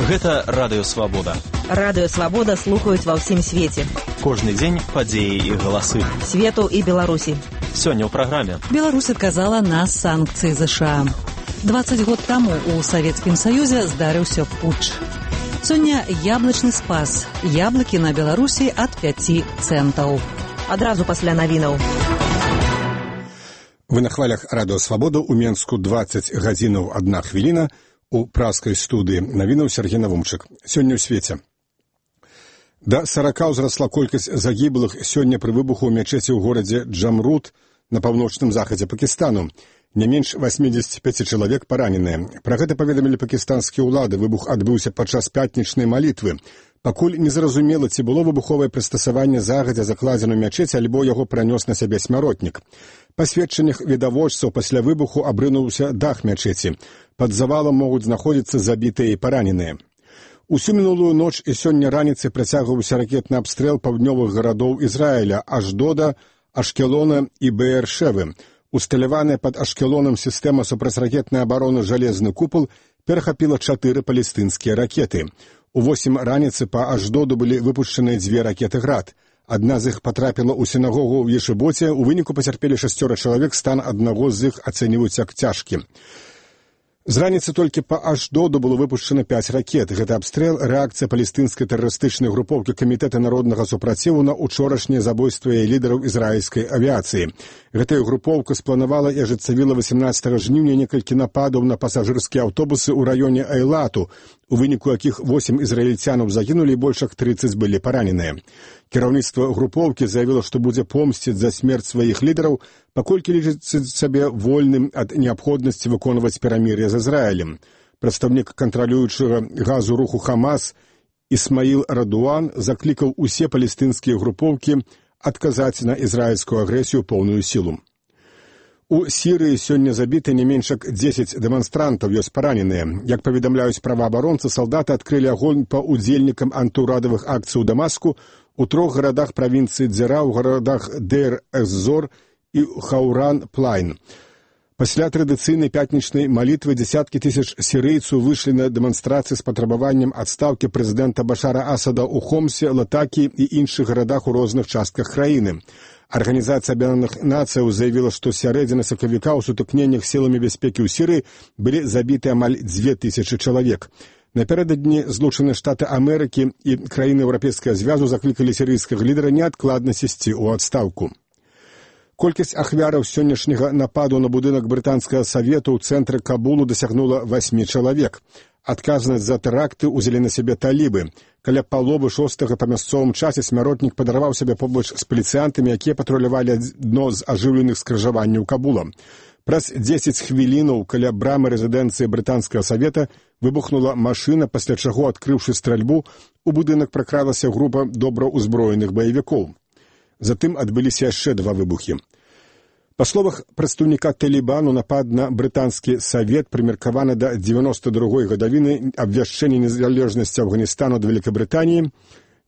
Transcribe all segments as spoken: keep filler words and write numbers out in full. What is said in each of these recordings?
Гэта Радыё Свабода. Радыё Свабода слухаюць ва ўсім свеце. Кожны дзень падзеі і галасы. Свету і Беларусі. Сёння ў праграме. Беларусь адказала на санкцыі ЗША. дваццаць год таму у Савецкім Саюзе здарыўся путч. Сёння яблычны спас. Яблыкі на Беларусі ад пяці цэнтаў. Адразу пасля навінаў. Вы на хвалях Радыё Свабода ў Менску дваццаць гадзінаў адна хвіліна. У праскай студыі навінаў Сергей Навумчык. Сёння ў свеце. Да сарака ўзрасла колькасць загіблых сёння пры выбуху ў мячэці ў горадзе Джамрут на паўночным захадзе Пакістану. Не менш васьмідзесят пяць чалавек параненыя. Пра гэта паведамілі пакістанскія ўлады. Выбух адбыўся падчас пятнічнай малітвы. Пакуль незразумела, ці было выбуховае прыстасаванне загадзя закладзена ў мячэці, альбо яго пранёс на сябе смяротнік. Па сведчаннях відавочцаў пасля выбуху абрынуўся дах мячэці. Пад завалам могуць знаходзіцца забітыя і параненыя. Усю мінулую ноч і сёння раніцай працягваўся ракетны абстрэл паўднёвых гарадоў Ізраіля, Аждода, Ашкелона і Беэр-Шевы. Усталяваная пад Ашкелонам сістэма супрацьракетнай абароны «Жалезны купал» перахапіла чатыры палестынскія ракеты. У восем раніцы па Аждоду былі выпушчаныя дзве ракеты «Град». Адна з іх патрапіла ў сінагогу ў Ешыбоце, у выніку пацярпелі шасцёра чалавек, стан аднаго з іх ацэньваюць як цяжкі. З раніцы толькі па Аждоду было выпушчана пяць ракет. Гэта абстрэл — рэакцыя палестынскай тэрарыстычнай групоўкі Камітэта народнага супраціву на учорашняе забойства лідараў ізраільскай авіяцыі. Гэтая групоўка спланавала і ажыццявіла васемнаццатага жніўня некалькі нападаў на пасажырскія аўтобусы ў раёне Эйлату, у выніку якіх восем ізраільцянаў загінулі і больш як трыццаць былі параненыя. Кіраўніцтва групоўкі заявіла, што будзе помсціць за смерць сваіх лідараў, паколькі лічыць сабе вольным ад неабходнасці выконваць перамір'е з Ізраілем. Прадстаўнік кантралюючага газу руху Хамас Ісмаіл Радуан заклікаў усе палестынскія групоўкі адказаць на ізраільскую агрэсію поўную сілу. У Сірыі сёння забіты не менш як дзесяць дэманстрантаў, ёсць параненыя. Як паведамляюць праваабаронцы, салдаты адкрылі агонь па ўдзельнікам антыўрадавых акцый у Дамаску у трох гарадах правінцыі Дзера, у гарадах Дейр-эз-Зор і Хауран-Плайн. Пасля традыцыйнай пятнічнай малітвы дзесяткі тысяч сірыйцаў выйшлі на дэманстрацыі з патрабаваннем адстаўкі прэзідэнта Башара Асада ў Хомсе, Латакі і іншых гарадах у розных частках краіны. Арганізацыя Аб'яднаных Нацыяў заявіла, што з сярэдзіны сакавіка ў сутыкненнях сіламі бяспекі ў Сірыі былі забіты амаль дзве тысячы чалавек. Напярэдадні Злучаныя Штаты Амерыкі і краіны Еўрапейскага звязу заклікалі сірыйскага лідара неадкладна сысці ў адстаўку. Колькасць ахвяраў сённяшняга нападу на будынак брытанскага савету ў цэнтры Кабулу дасягнула васьмі чалавек. Адказнасць за тэракты ўзялі на сябе талібы. Каля паловы шостага па мясцовым часе смяротнік падарваў сябе побач з паліцыянтамі, якія патрулявалі адно з ажыўленых скрыжаванняў Кабула. Праз дзесяць хвілінаў каля брамы рэзідэнцыі брытанскага савета выбухнула машына, пасля чаго, адкрыўшы стральбу, у будынак пракралася група добраўзброеных баевікоў. Затым адбыліся яшчэ два выбухі. Па словах прадстаўніка Талібану, напад на брытанскі савет прымеркаваны да дзевяноста другой гадавіны абвяшчэння незалежнасці Афганістану ад Вялікабрытаніі,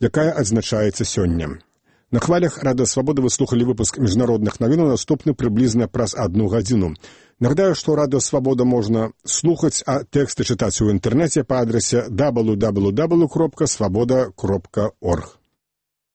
якая адзначаецца сёння. На хвалях Радыё Свабода вы слухалі выпуск міжнародных навінаў, наступны прыблізна праз адну гадзіну. Нагадаю, што Радыё Свабода можна слухаць, а тэксты чытаць у інтэрнэце па адрасе дабл ю дабл ю дабл ю кропка свабода кропка орг.